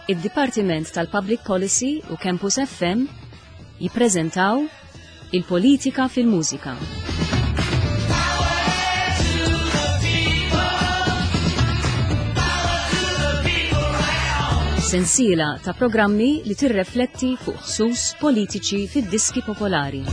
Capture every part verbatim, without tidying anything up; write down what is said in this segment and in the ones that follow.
Id-Dipartiment tal-Public Policy u Campus F M jippreżentaw Il-Politika fil-Mużika. Sensiela ta' programmi li tirrefletti fuq ħsus politiċi fid-diski popolari.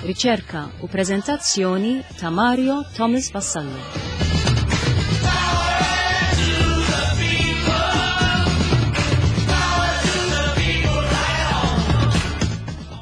Riċerka u preżentazzjoni ta' Mario Thomas Vassallo.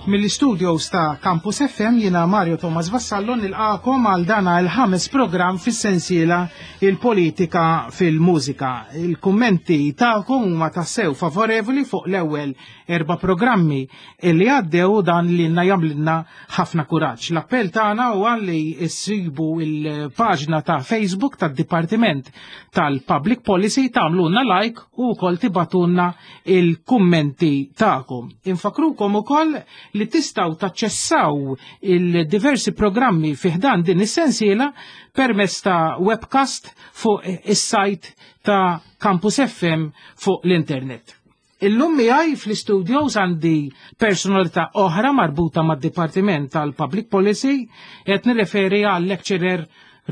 Mill-studios ta' Campus F M jiena Mario Thomas Vassallo nilqakom għal dana il-ħames program fis-sensiela Il-Politika fil-Mużika. Il-kummenti tagħkom huma tassew favorevoli fuq l-ewwel erba' programmi illi għaddew, dan li jagħmlilna ħafna kuraġġ. L-appell tagħna huwa li issibu il-paġna ta' Facebook tad-Dipartiment tal-Public Policy, tagħmlulna like u wkoll tibagħtulna il-kummenti tagħkom. Infakrukom ukoll li tistgħu taċċessaw il-diversi programmi fi ħdan din is-sensiela permezz ta' webcast fuq is-sajt ta' Campus F M fuq l-internet. Illum miegħi fl-studios għandi personalità oħra marbuta mad-Dipartiment tal-Public Policy, qed nirreferi għal lecturer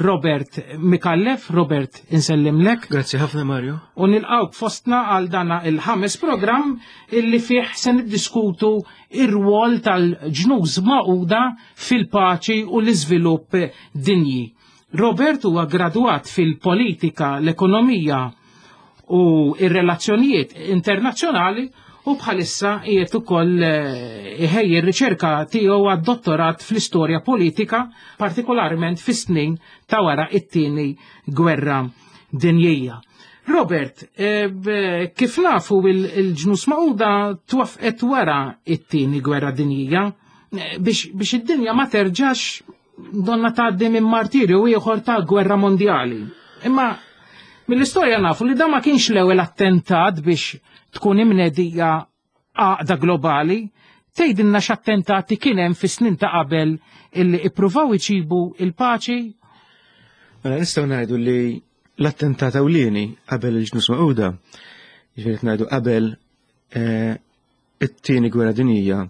Robert Mikallef. Robert, insellimlek. Grazzi ħafna, Mario. U nilqawk fostna għal dana il-ħames program illi fih se niddiskutu ir-rwol tal-Ġnus Magħquda fil-paċi u l-iżvilupp dinji. Robert huwa gradwat fil-politika, l-ekonomija u ir-relazzjonijiet internazzjonali u bħalissa qiegħed ukoll eh, iħejji r-riċerka tiegħu għad-dottorat fl-istorja politika, partikolarment fis-snin ta' wara it-tieni gwerra dinjija. Robert, eh, kif nafu, il-Ġnus Magħquda twaffqet wara it-tieni gwerra dinjija eh, biex, biex id-dinja ma terġax donna tgħaddi minn martirju ieħor ta' gwerra mondjali. Imma mill-istorja nafu li da ma kienx l-ewwel attentat biex tkun imnedija għaqda globali. Tgħidilna x'attentati kien hemm fis-snin ta' qabel illi ippruvaw iġibu il-paċi? Mela, nistgħu ngħidu li l-attentat ewlieni qabel il-Ġnus Magħquda, jiġifieri ngħidu qabel eh, it-tieni gwerra dinjija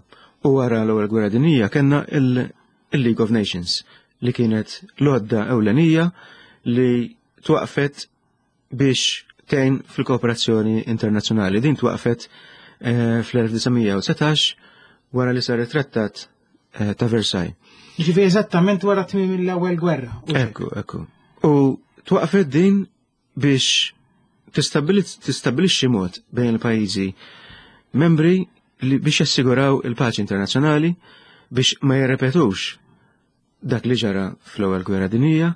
u wara l-ewwel gwerra dinjija, kellna il-League of Nations, li kienet l-għodda ewlenija li twaqfet biex tgħin fil-kooperazzjoni internazzjonali. Din twaqfet eh, fl-elf disa' mija u dsatax wara li sar it-trattat eh, ta' Versailles. Ġifieri eżattament wara tmiem l-ewwel gwerra. Ekku, ekku. U twaqfet din biex tistabbilixxi mod bejn il-pajjiżi membri li biex jassiguraw il-paċi internazzjonali, biex ma jirrepetux dak li ġara fl-ewwel gwerra dinjija,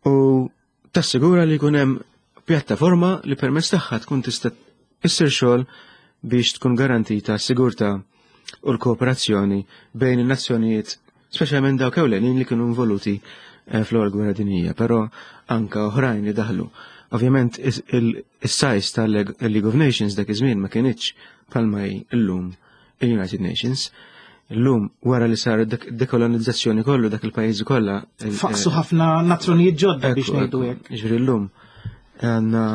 u tassigura li jkun hemm pjattaforma li permezz tagħha tkun tista' issir xogħol biex tkun garantita s-sigurtà u l-kooperazzjoni bejn in-nazzjonijiet, speċjalment dawk ewlenin li kienu involuti eh, fl-ewwel gwerra dinjija, però anka oħrajn li daħlu. Ovvjament is-size tal-League of Nations dak iż-żmien ma kienitx bħalma hi llum il-United Nations. Illum, wara li sar dekolonizzazzjoni kollu dak il-pajjiżi kollha. Faqsu ħafna nazzjonijiet ġodda, biex ngħidu hekk. Ġifieri llum għandna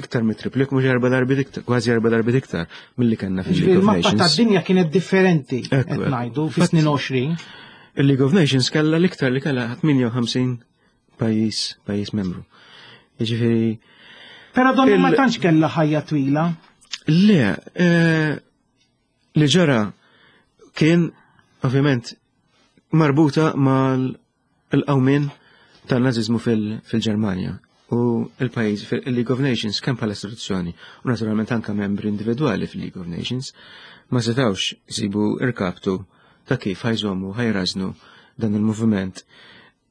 iktar mit triplik, mhux erba' darbiet iktar, kważi erba' darbiet iktar milli kellna fil-League of Nations. Il-mappa tad-dinja kienet differenti, qed ngħidu, fis-snin għoxrin. Il-League of Nations kellha l-iktar li kellha tmienja u ħamsin pajjiż pajjiż membru. Jiġifieri Però donni ma tantx kellha ħajja twila. Le, eh, li ġara kien ovvjament marbuta mal-qawmien tan-naziżmu fil-Ġermanja u il-pajjiż fil-League of Nations, kemm bħala istituzzjoni u naturalment anka membri individwali fil-League of Nations, ma setawx jsibu irkaptu ta' kif ħa jżommu, ħa jrażnu dan il-moviment.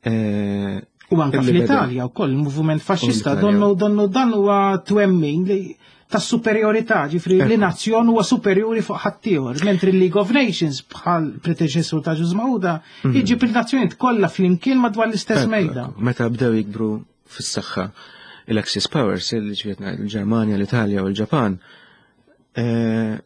Eh, U anka fl-Italja wkoll il-moviment faxxista, donnu donnu dan huwa twemmin li ta' superjorità, ġifieri li nazzjon huwa superjuri fuq ħaddieħor, mentri l-League of Nations, bħal predeċessur ta' Ġnus Magħquda, mhm. iġib il-nazzjonijiet kollha flimkien madwar l-istess mejda. Meta bdew jikbru fis-saħħa l-Axis Powers, il-Ġermanja, l-Italja u l-Ġapan, eh,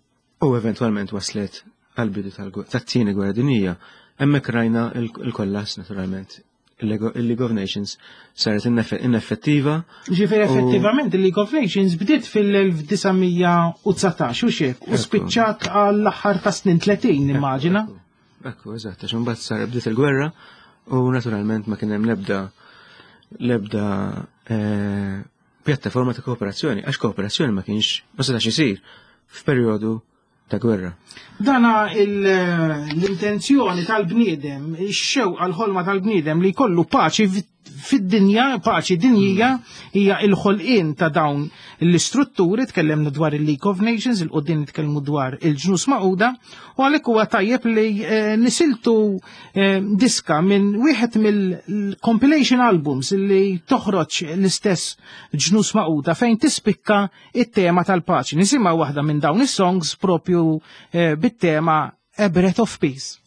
U eventwalment waslet għal-bidu tat-tieni gwerra dinjija. Hemmhekk rajna il-kollass naturalment. Il-League of Nations saret ineffettiva. Ġifieri effettivament il-League of Nations bdiet fil-elf disa' mija u dsatax u xek, u spiċċat għall-aħħar ta' snin tletin, immaġina. Ekku, eżatt, għax imbagħad sar bdiet il-gwerra u naturalment ma kien hemm l-ebda, l-ebda, eh, pjattaforma ta' kooperazzjoni, għax kooperazzjoni ma kienx, ma setax isir f'perjodu ta' gwerra. Dana il-, l-intenzjoni tal-bniedem, ix-xewqa l-ħolma tal-bniedem li jkollu paċi fid-dinja, paċi dinjija, hija l-ħolqien ta' dawn l-istrutturi. Tkellemna dwar il-League of Nations, il-qudiem nitkellmu dwar il-ġnus Magħquda, u għalhekk huwa tajjeb li, eh, nisiltu, eh, diska minn wieħed mill-compilation albums li toħroġ l-istess ġnus Magħquda fejn tispikka it-tema tal-paċi. Nisimgħu waħda minn dawn is-songs propju, eh, bit-tema A Breath of Peace.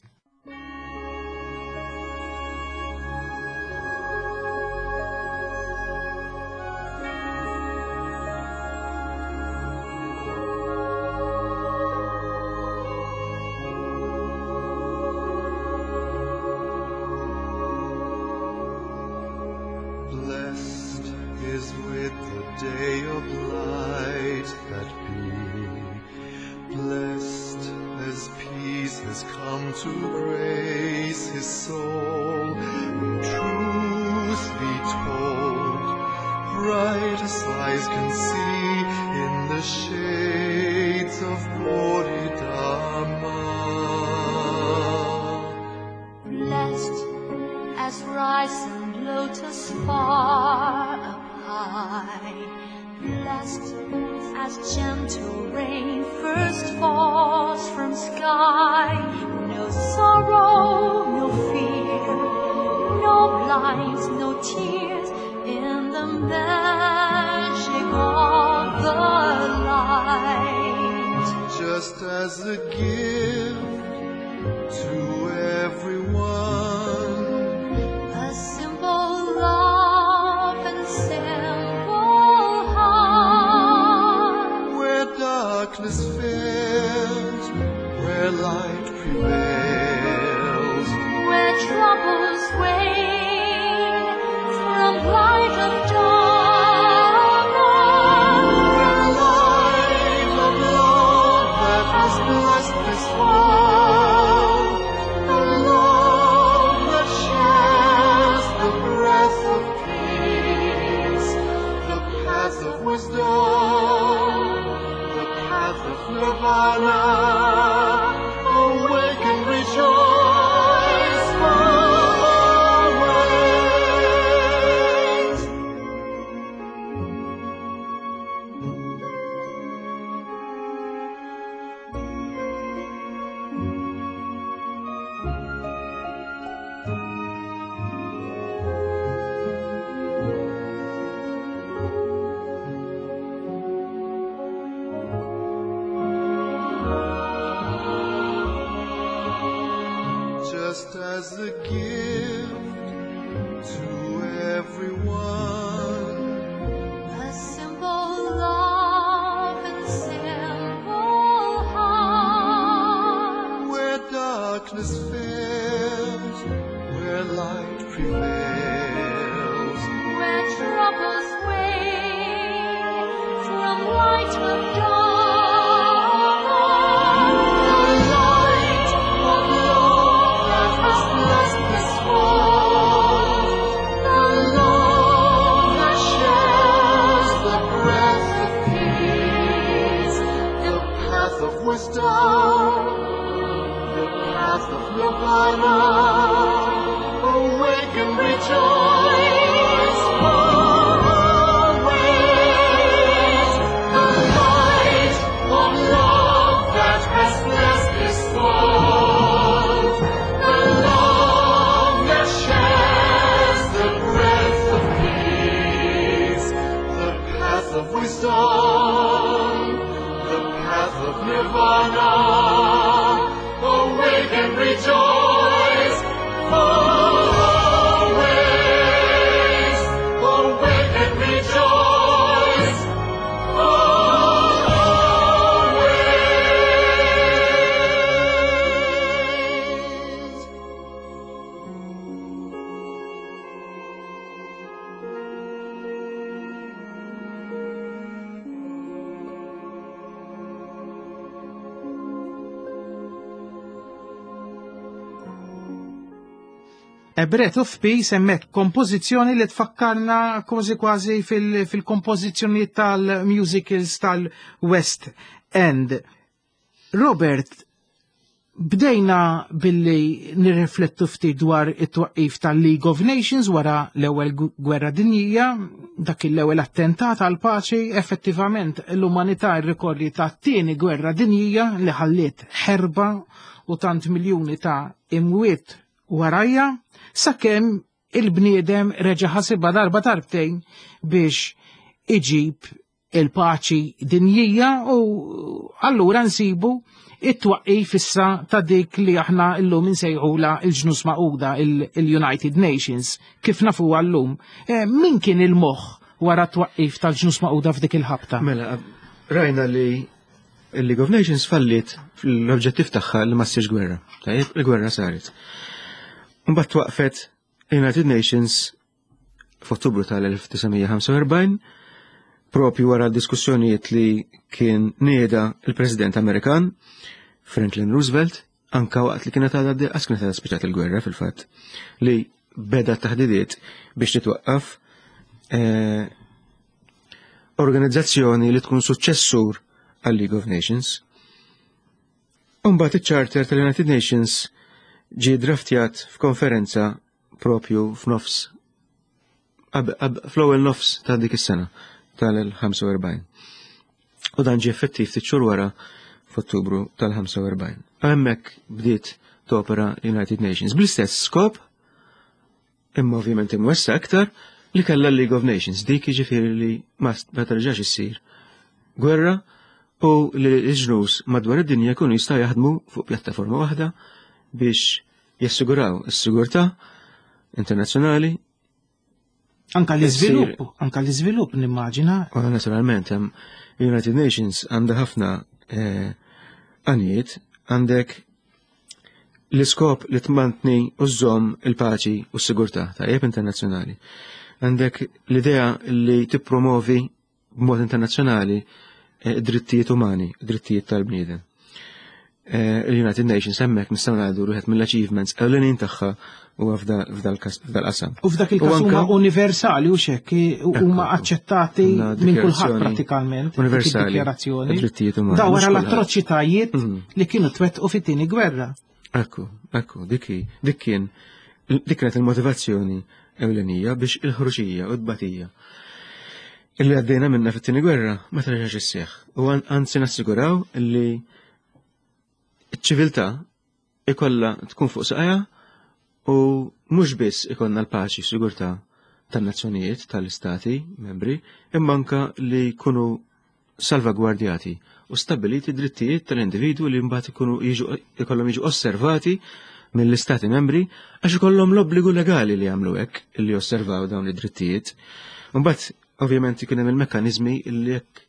A Breath of Peace, hemmhekk kompożizzjoni li tfakkarna kważi kważi fil-kompożizzjoni tal-musicals tal-West End. Robert, bdejna billi nirriflettu ftit dwar it-twaqqif tal-League of Nations wara l-ewwel gwerra dinjija, dak l-ewwel attentat għal paċi, effettivament l-umanità rrikorri ta' tieni gwerra dinjija li ħalliet ħerba u tant miljuni ta' imwiet warajja, sakemm il-bniedem reġa' ħasibha darba darbtejn biex iġib il-paċi dinjija, u allura nsibu it-twaqqif issa ta' dik li aħna llum insejħula il-Ġnus Magħquda, il-United Nations, kif nafu llum. E, min kien il-moħħ wara t-twaqqif tal-Ġnus Magħquda f'dik il-ħabta? Mela, rajna li il-League of Nations fallit fl-oġġettiv tagħha li ma ssirx gwerra. Tajjeb, il-gwerra saret. Mbagħad twaqfet United Nations f'Ottubru tal-elf tisa' mija ħamsa u erbgħin, propju wara diskussjonijiet li kien nieda il-President Amerikan Franklin Roosevelt, anka waqt li kienet għadha għas kienet għadha spiċċat il-gwerra fil-fatt, li beda taħdidiet biex titwaqqaf, eh, organizzazzjoni li tkun suċċessur għal League of Nations. Imbagħad iċ-Charter tal-United Nations ġie draftjat f'konferenza propju f'nofs ab-, ab-, fl-ewwel nofs ta' dik is-sena tal-ħamsa u erbgħin. U dan ġie effettiv ftit xhur wara f'Ottubru tal-ħamsa u erbgħin. Hemmhekk bdiet topera United Nations bl-istess skop, imma ovvjament imwessa aktar, li kellha l-League of Nations, dik jiġifieri li ma s-, ma terġax issir gwerra u li l-ġnus madwar id-dinja jkunu jistgħu jaħdmu fuq pjattaforma waħda biex jassiguraw is-sigurtà internazzjonali. Anka l-iżvilupp, Issir. anka l-iżvilupp nimmaġina. U naturalment hemm United Nations għandha ħafna, eh, għanijiet, għandek l-iskop li tmantni u żżomm il-paċi u s-sigurtà tajjeb internazzjonali. Għandek l-idea li tippromovi b'mod internazzjonali, eh, drittijiet umani, drittijiet tal-bniedem. Eh, Il-United Nations hemmhekk nistgħu ngħidu wieħed mill-achievements ewlenin tagħha huwa f'da-, f'dal-kas-, f'dal-qasam. U f'dak il-każ U anka huma universali u xekk, u huma Ekku. aċċettati Għandna minn kulħadd dikjarazzjoni prattikament, dik universali, id-dikjarazzjoni. drittijiet umani, Da mhux wara kulħadd. l-atroċitajiet Mhm. li kienu twettqu fit-tieni gwerra. Ekku, ekku, dik hi, dik kien, dik kienet il-motivazzjoni ewlenija biex il-ħruxija u t-batija illi għaddejna minna fit-tieni gwerra ma terġax isseħħ. U an-, anzi nassiguraw li ċ-ċiviltà ikolla tkun fuq saqajha u mhux biss ikollna l-paċi u sigurtà tan-nazzjonijiet, tal-istati membri, imma anka li jkunu salvagwardjati u stabiliti drittijiet tal-individwu li mbagħad ikunu jiġu, ikollhom jiġu osservati mill-istati membri għax ikollhom l-obbligu legali li jagħmlu hekk, li josservaw dawn id-drittijiet. Mbagħad ovvjament ikun hemm il-mekkaniżmi li jekk,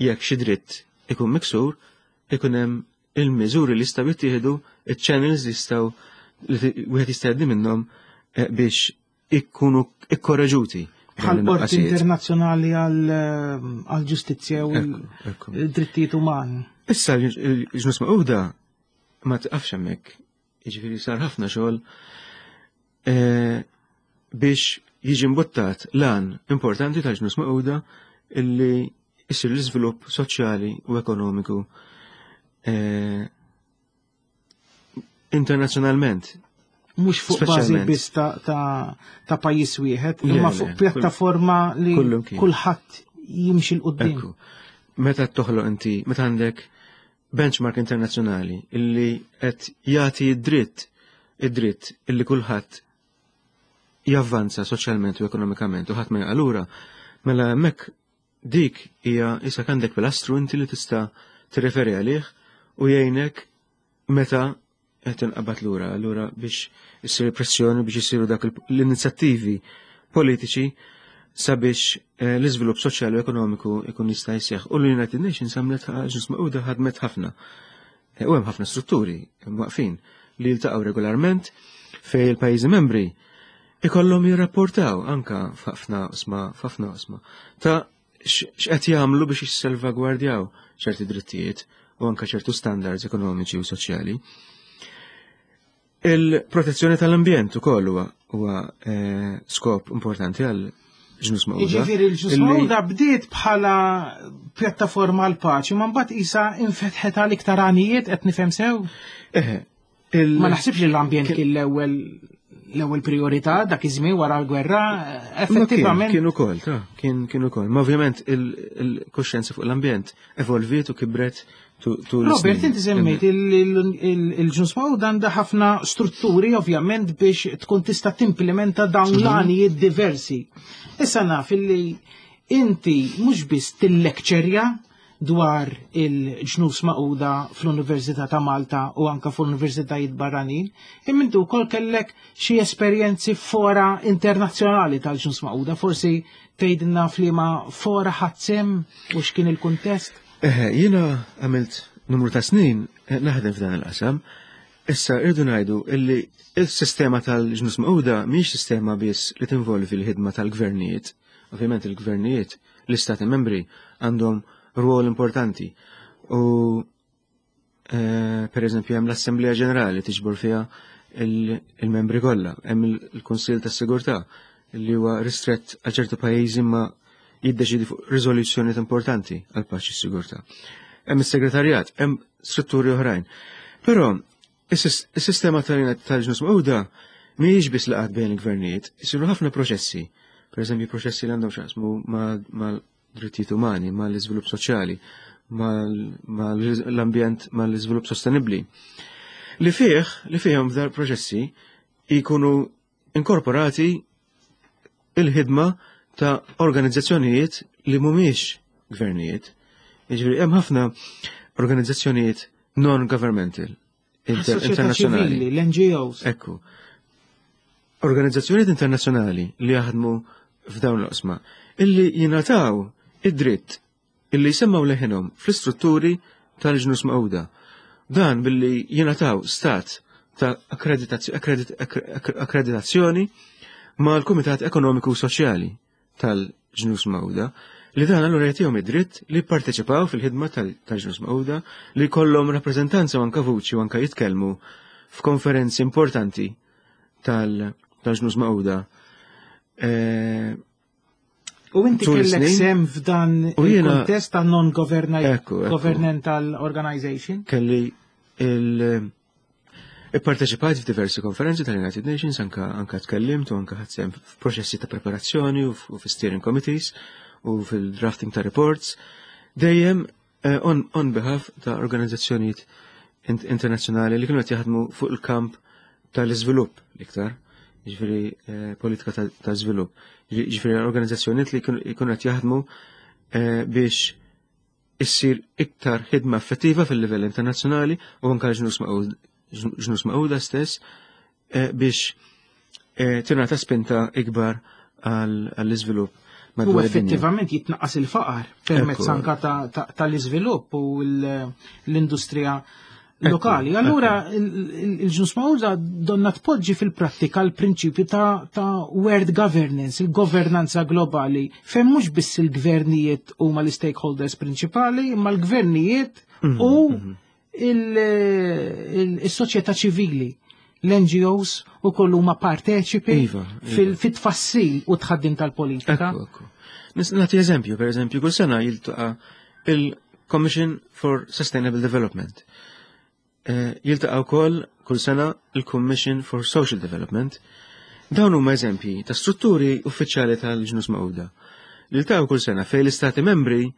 jekk xi dritt ikun miksur, ikun hemm il-miżuri li jistgħu jittieħdu, iċ-channels li jistgħu li ti-, wieħed jista' jgħaddi minnhom, eh, biex ikkunu ikkoreġuti. Bħal Dawn Qorti in-nuqqasijiet. Internazzjonali għal, għal ġustizzja u Ekku, ekku. l-drittijiet umani. Issa l-Ġnus Magħquda ma tiqafx hemmhekk. Jiġifieri sar ħafna xogħol, eh, biex jiġi mbuttat lan importanti tal-Ġnus Magħquda illi jsir l-iżvilupp soċjali u ekonomiku, eh, internazzjonalment. Mhux fuq bażi Speċjalment. biss ta', ta', ta' pajjiż wieħed, Le, imma le, fuq kull- pjattaforma li kullum kien. kulħadd jimxi 'l quddiem. Ekku. Meta toħloq inti, meta għandek benchmark internazzjonali illi qed jagħti id-dritt, id-dritt illi kulħadd javvanza soċjalment u ekonomikament u ħadd ma jaqa' lura, mela hemmhekk dik hija issa għandek pilastru inti li tista' tirreferi għalih u jgħinek meta qed tinqabad lura, allura biex issir pressjoni biex isiru dak il-, l-inizjattivi politiċi sabiex, eh, l-iżvilupp soċjali u ekonomiku ikun jista' jseħħ. U l-United Nations għamlet Ġnus Magħquda ħadmet ħafna. Eh, u hemm ħafna strutturi waqfin li jiltaqgħu regolarment fejn il-pajjiżi membri ikollhom jirrapportaw anka f'ħafna osma, f'ħafna osma ta' x-, x'qed jagħmlu biex jissalvagwardjaw ċerti drittijiet u anka ċertu standards ekonomiċi u soċjali. Il-protezzjoni tal-ambjent ukoll huwa huwa eh, skop importanti għal Ġnus Magħquda. Jiġifieri l-Ġnus Illi- Magħquda bdiet bħala pjattaforma għal paċi, ma mbagħad isa infetħet għal iktar għanijiet, qed nifhem sew? Eħe, il- Ma naħsibx li l-ambjent kien l-ewwel l-ewwel priorità dak iż-żmien wara l-gwerra, Ma kien, effettivament. kien ukoll, ta' kien kien ukoll. Ma ovvjament il-kuxjenza fuq l-ambjent evolviet u kibret tu- tul Robert, is-snin. inti semmejt il-Ġnus Magħquda għandha ħafna strutturi ovvjament biex tkun tista' timplementa dawn l-għanijiet diversi. Issa naf illi inti mhux biss tillekċerja dwar il-Ġnus Magħquda fl-Università ta' Malta u anka fl-Universitajiet barranin, imma inti wkoll kellek xi esperjenzi fora internazzjonali tal-Ġnus Magħquda, forsi tgħidilna f'liema fora ħadt sehem u x'kien il-kuntest? Eħe, jiena għamilt numru ta' snin eh, naħdem f'dan il-qasam. Issa irdu ngħidu illi il-sistema tal-Ġnus Magħquda mhix sistema biss li tinvolvi l-ħidma tal-gvernijiet. Ovvjament il-gvernijiet, l-istati membri għandhom rwol importanti. U eh, per eżempju hemm l-Assemblea Ġenerali tiġbor fiha il- il-membri kollha, hemm il-Kunsill tas-Sigurtà li huwa ristrett għal ċertu pajjiżi ma jiddeċidi fuq riżoluzzjonijiet importanti għal paċi u sigurtà. Hemm is-segretarjat, hemm strutturi oħrajn. Però is-sis- is-sistema tal- tal-Ġnus Magħquda mhijiex biss laqgħat bejn il-gvernijiet, isiru ħafna proċessi. Per eżempju, proċessi li għandhom x'jaqsmu mal-drittijiet umani, mal-iżvilupp soċjali, mal-ambjent, mal-iżvilupp sostenibbli. Li fih, li fihom f'dar proċessi jkunu inkorporati il-ħidma ta' organizzazzjonijiet li mhumiex gvernijiet. Jiġifieri hemm ħafna organizzazzjonijiet non-governmental, inter Soċjetà internazzjonali. ċivili, l-N G Os. Ekku. Organizzazzjonijiet internazzjonali li jaħdmu f'dawn l-oqsma, illi jingħataw id-dritt illi jsemmaw leħinhom fl-istrutturi tal-Ġnus Magħquda. Dan billi jingħataw stat ta' akkreditazz- akkredit- akkre- akkreditazzjoni mal-Kumitat Ekonomiku u Soċjali tal-Ġnus Magħquda, li dan allura jagħtihom id-dritt li jipparteċipaw fil-ħidma tal- tal-Ġnus Magħquda, li jkollhom rappreżentanza u anka vuċi u anka jitkellmu f'konferenzi importanti tal- tal-Ġnus Magħquda. Eh, U inti tul kellek is-snin. sehem f'dan U jiena- il-kuntest ta' Ekku, ekku. non-governmental organization? Kelli il Ipparteċipajt f'diversi konferenzi tal-United Nations, anka anka tkellimt u anka ħadt sehem f'proċessi ta' preparazzjoni u f- u fi-steering committees u fil-drafting ta' reports, dejjem eh, on, on behalf ta' organizzazzjonijiet int- internazzjonali li kienu qed jaħdmu fuq il-kamp tal-iżvilupp l-iktar, jiġifieri eh, politika ta' ta' żvilupp. Jiġifieri organizzazzjonijiet li kienu jkunu qed jaħdmu eh, biex issir iktar ħidma effettiva fil-livell internazzjonali u anka ġnus Magħqud- Ġnus Magħquda stess eh, biex eh, tingħata spinta ikbar għall- għall-iżvilupp U madwar id-dinja. effettivament jitnaqqas il-faqar permezz Ekku. anka ta- ta- tal-iżvilupp u l- l-industrija lokali. Allura il-Ġnus Magħquda donna tpoġġi fil-prattika l-prinċipju ta', ta world governance, il-governanza globali, fejn mhux biss il-gvernijiet huma l-stakeholders prinċipali, imma l-gvernijiet u il-soċjetà ċivili, l-N G Os u kollu huma parteċipi Iva, iva. fil-tfassil u tħaddim tal-politika. Ekku, ekku. Nis- Nagħti eżempju, per eżempju, kull sena jiltaqa' il-Commission for Sustainable Development. Eh, Jiltaqa' wkoll kull sena il-Commission for Social Development. Dawn huma eżempji ta' strutturi uffiċjali tal-Ġnus Magħquda. Li jiltaqgħu kull sena fejn l-istati membri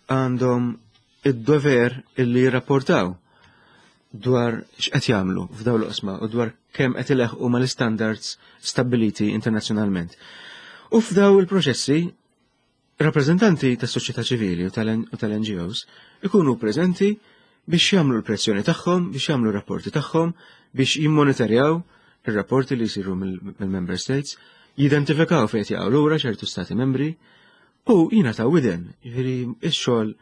għandhom id-dover illi jirrapportaw dwar x'qed jagħmlu f'dawn l-oqsma u dwar kemm qed ileħqu mal-standards stabbiliti internazzjonalment. U f'daw il-proċessi, rappreżentanti tas soċjetà ċivili u tal-N G Os ikunu preżenti biex jagħmlu l-pressjoni tagħhom, biex jagħmlu r-rapporti tagħhom, biex jimmonitorjaw ir-rapporti li jsiru mill-Member States, jidentifikaw fejn jaqgħu lura ċertu stati membri u jingħataw widen. Jiġifieri ix-xogħol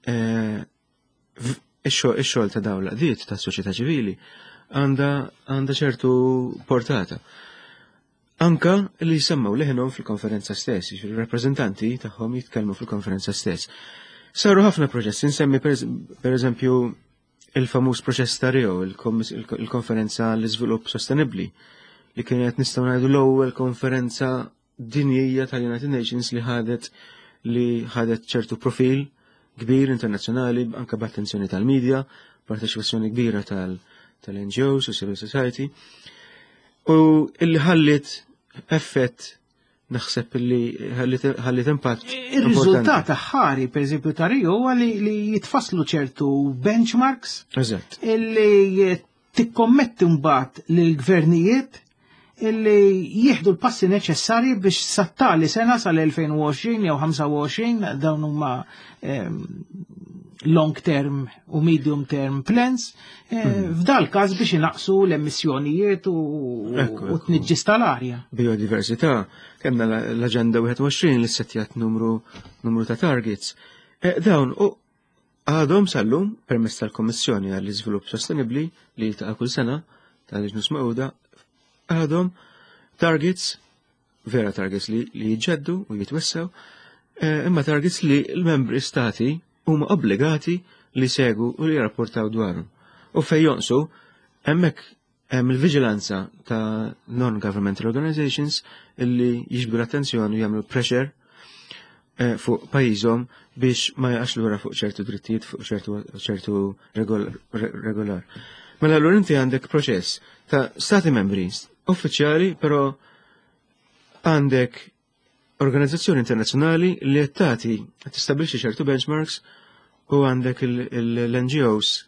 eh, ix-xogħol ta' dawn l-għaqdiet tas soċjetà ċivili għandha għandha ċertu portata. Anka li jsemmaw leħenhom fil-konferenza stess, jiġifieri rappreżentanti tagħhom jitkellmu fil-konferenza stess. Saru ħafna proċessi, nsemmi per eżempju il-famuż proċess ta' Rio, il-konferenza l-iżvilupp sostenibbli, li kienet nistgħu ngħidu l-ewwel konferenza dinjija tal-United Nations li ħadet li ħadet ċertu profil kbir internazzjonali, anke b'attenzjoni tal-medja, parteċipazzjoni kbira tal-N G Os u civil society, u illi ħallit effett, naħseb illi ħallit impatt Ir-riżultat aħħari, per eżempju, ta' Rio huwa li, li jitfasslu ċertu benchmarks. Eżatt. Illi tikkommetti mbagħad lill-gvernijiet illi jieħdu l-passi neċessarji biex sattali sena sal-elfejn u għoxrin jew ħamsa u għoxrin, dawn huma, ehm, long term u medium term plans, eh, Hmm. f'dal każ biex inaqsu l-emissjonijiet u, Ekku, u ekku. tniġġis tal-arja. Biodiversità, kellna la-, l-Aġenda wieħed u għoxrin li settjat numru, numru ta' targets. Eh, dawn u għadhom sal-lum permezz tal-Kommissjoni għall-Iżvilupp Sostenibbli li jiltaqa' kull sena tal-Ġnus Magħquda, għadhom targets, vera targets li, li jġeddu u jitwessaw, eh, imma targets li l-membri stati huma obbligati li segu u li jirrapportaw dwarhom. U fej jonqsu, hemmhekk hemm il-vigilanza ta' non-governmental organizations illi jiġbdu l-attenzjoni u jagħmlu pressure, eh, fuq pajjiżhom biex ma jaqax lura fuq ċertu drittijiet, fuq ċertu, ċertu regol-, re-, regolar. Mela allura inti għandek proċess ta' stati membri uffiċjali, però għandek organizzazzjoni internazzjonali li qed tagħti, qed tistabbilixxi ċertu benchmarks, u għandek il-, il-, l-N G Os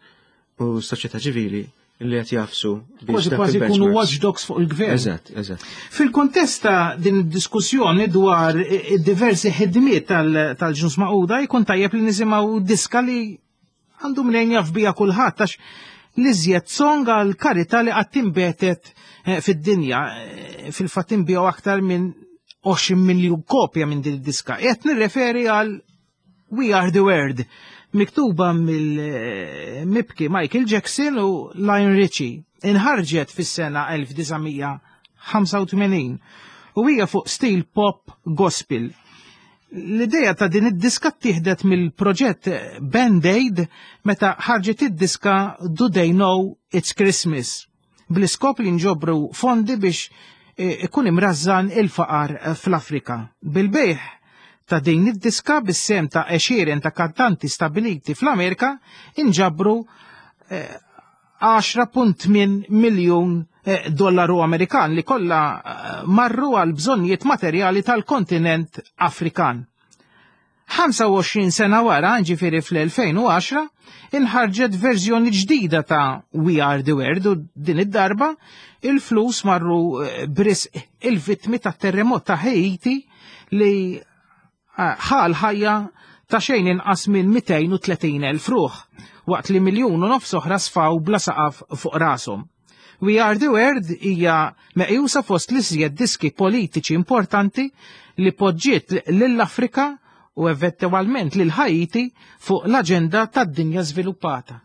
u s-soċjetà ċivili li qed jafsu biex Kważi dak kważi il-benchmarks. jkunu watchdogs fuq il-gvern. Eżatt, eżatt. Fil-kontest ta' din id-diskussjoni dwar diversi ħidmiet tal-, tal-Ġnus Magħquda jkun tajjeb li nisimgħu diska li għandu mnejn jaf bija kulħadd, għax l-iżjed song għal karità li qatt inbetet, eh, fid-dinja, eh, fil-fatt inbiegħu aktar minn għoxrin miljun kopja minn din id-diska. Qed nirreferi għal We Are the World, miktuba mill-mibki Michael Jackson u Lionel Richie. Inħarġet fis-sena elf disa' mija ħamsa u tmenin u hija fuq stil pop gospel. L-ideja ta' din id-diska ttieħdet mill-proġett Band Aid meta ħarġet id-diska Do They Know It's Christmas, bl-iskop li nġobru fondi biex, eh, ikun imrażżan il-faqar fl-Afrika. Bil-bejħ ta' din id-diska bis-sem ta' għexieren ta' kantanti stabiliti fl-Amerika inġabru, eh, għaxra punt tmien miljun, eh, dollaru Amerikan li kollha, eh, marru għal bżonnijiet materjali tal-kontinent Afrikan. ħamsa u għoxrin sena wara, ġifieri fl-elfejn u għaxra, inħarġet verżjoni ġdida ta' We Are the World u din id-darba il-flus marru, eh, brisq il-vittmi ta' terremot ta' Haiti li, eh, ħal ħajja ta' xejn inqas minn mitejn u tletin elf ruħ, waqt li miljun u nofs oħra sfaw bla saqaf fuq rashom. We Are the World hija meqjusa fost l-iżjed diski politiċi importanti li poġġiet lill-Afrika u eventwalment lil Haiti fuq l-aġenda tad-dinja żviluppata.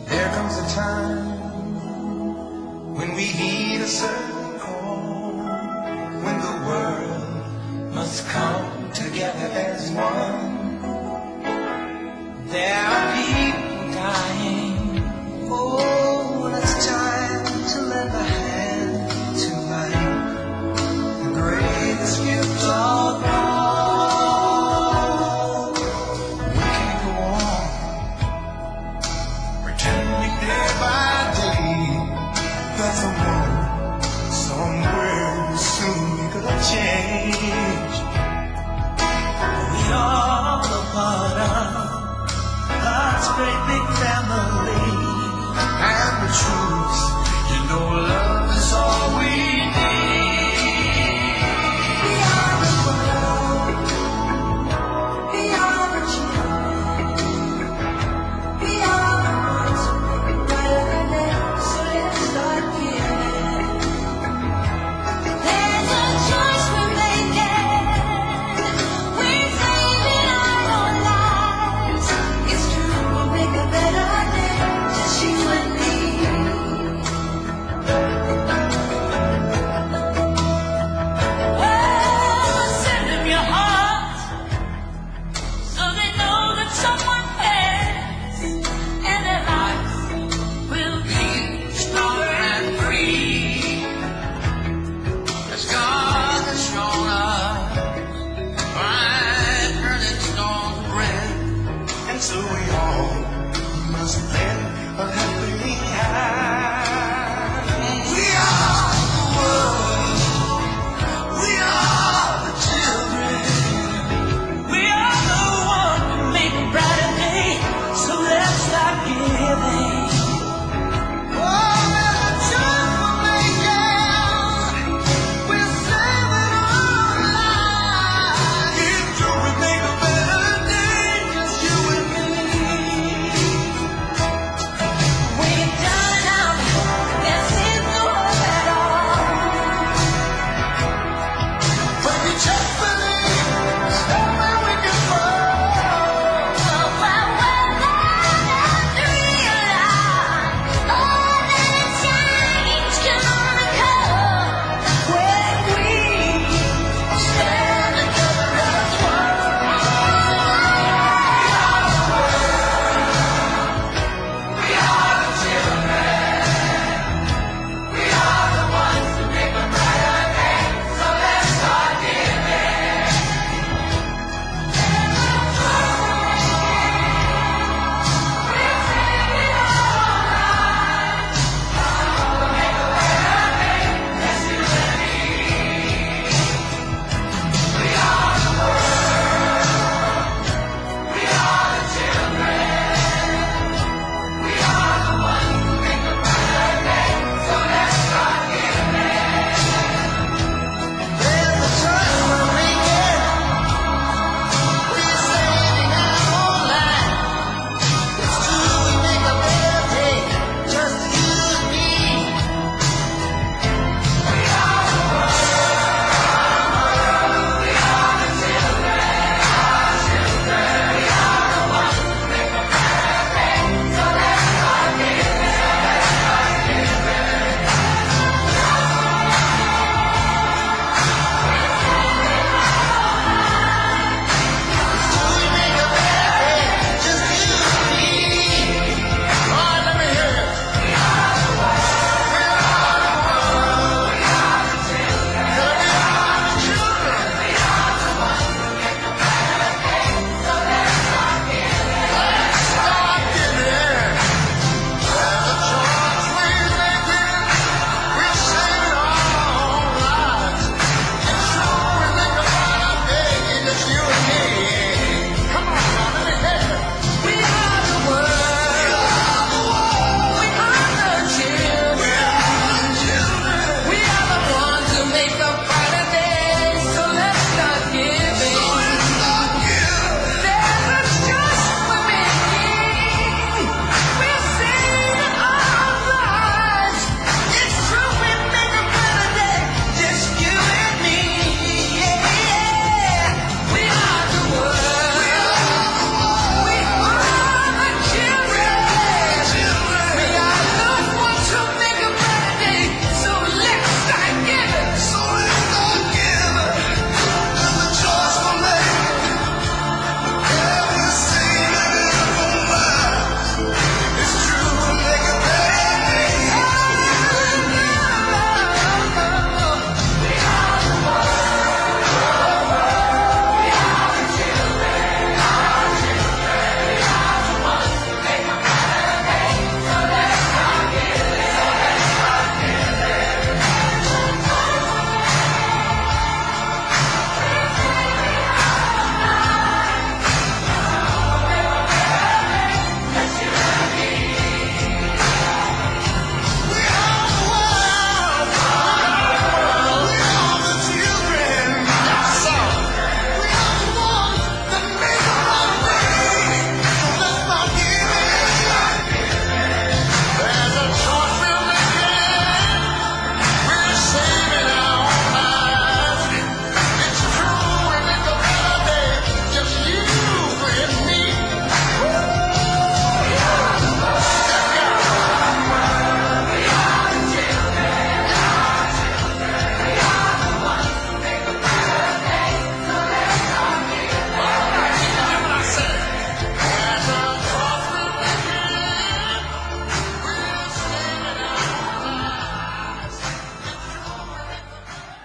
There comes a time when we heed a certain call, when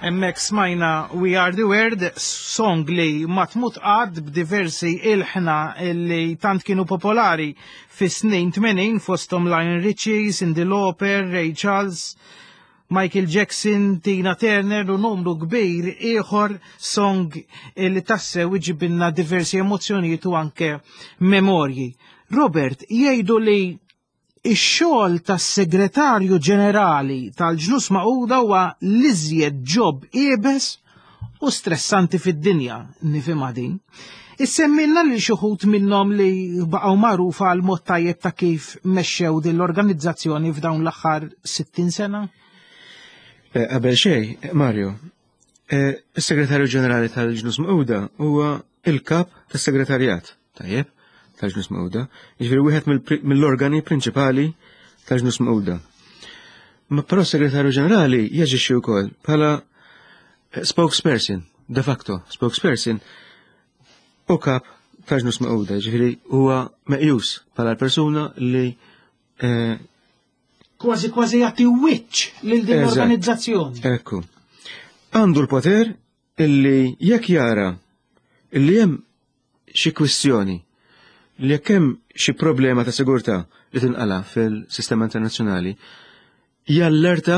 Hemmhekk smajna We Are The World, song li ma tmut qatt b'diversi ilħna li tant kienu popolari fis-snin tmenin fosthom Lionel Richie, Cyndi Lauper, Ray Charles, Michael Jackson, Tina Turner u numru kbir ieħor, song li tassew iġibilna diversi emozzjonijiet u anke memorji. Robert, jgħidu li ix-xogħol tas-Segretarju Ġenerali tal-Ġnus Magħquda huwa l-iżjed job iebes u stressanti fid-dinja, nifhimha din. Issemmilna li xi wħud minnhom li baqgħu magħrufa għal mod tajjeb ta' kif mexxew din l-organizzazzjoni f'dawn l-aħħar sittin sena? Eh, qabel xejn, Mario, eh, is-Segretarju Ġenerali tal-Ġnus Magħquda huwa il-kap tas-Segretarjat, tajjeb, tal-Ġnus Magħquda, jiġifieri wieħed mill-organi prinċipali tal-Ġnus Magħquda. Ma però s-Segretarju Ġenerali jaġixxi wkoll bħala spokesperson, de facto spokesperson, u kap tal-Ġnus Magħquda, jiġifieri huwa meqjus bħala persuna li eh, kważi kważi jagħti wiċċ lil din l-organizzazzjoni. Ekku. Għandu l-poter illi jekk jara illi hemm xi kwistjoni, li jekk hemm xi problema ta' sigurtà li tinqala fil-sistema internazzjonali, jallerta